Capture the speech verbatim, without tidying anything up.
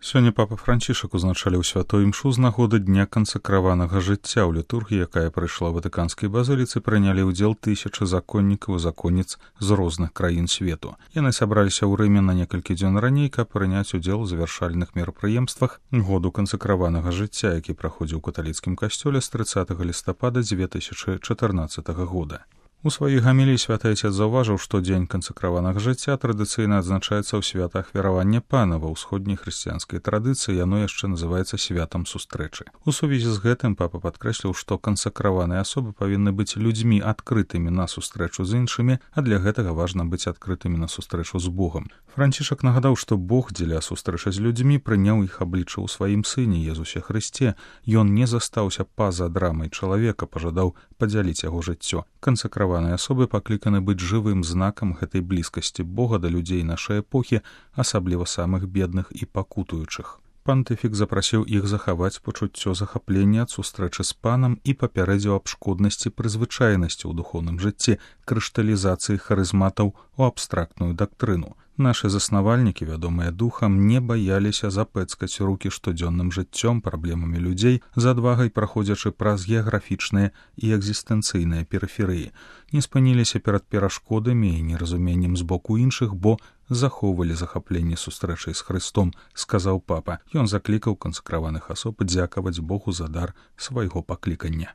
Сёння папа Францішак узначаліў святой імшу з нагоды дня кансакраванага жыцця. У літургіі, якая прайшла ў ватыканскай базыліцы, прынялі ўдзел тысячы законнікаў і законніц з розных краін свету. Яны сабраліся ў Рыме на некалькі дзён раней, каб прыняць удзел у завяршальных мерапрыемствах году кансакраванага жыцця, які праходзіў у каталіцкім касцёле з трыццатага лістапада дзве тысячы чатырнаццатага года. У сваёй гаміліі святы Айцец заўважыў, што дзень кансакраванага жыцця традыцыйна адзначаецца ў свята ахвяравання Пана. Ва ўсходняй хрысціянскай традыцыі яно яшчэ называецца святам сустрэчы. У сувязі з гэтым папа падкрэсліў, што кансакраваныя асобы павінны быць людзьмі адкрытымі на сустрэчу з іншымі, а для гэтага важна быць адкрытымі на сустрэчу з Богам. Францішак нагадаў, што Бог дзеля сустрэчы з людзьмі прыняў іх аблічча ў сваім сыне Езусе Хрысце. Ён не застаўся па-за драмай чалавека, пажадаў падзяліць яго жыццё. Кансакраваныя асобы пакліканы быць жывым знакам гэтай блізкасці Бога да людзей нашай эпохі, асабліва самых бедных і пакутуючых. Пантыфік запрасіў іх захаваць пачуццё захаплення ад сустрэчы з Панам і папярэдзіў аб шкоднасці прызвычайнасці ў духоўным жыцці, крышталізацыі харызматаў у абстрактную дактрыну. Нашы заснавальнікі, вядомыя духам, не баяліся запэцкаць рукі штодзённым жыццём, праблемамі людзей, з адвагай праходзячы праз геаграфічныя і экзістэнцыйныя перыферыі. Не спыніліся перад перашкодамі і неразуменнем з боку іншых, бо захоўвалі захапленне сустрэчай з Хрыстом, сказаў папа. Ён заклікаў кансакраваных асоб дзякаваць Богу за дар свайго паклікання.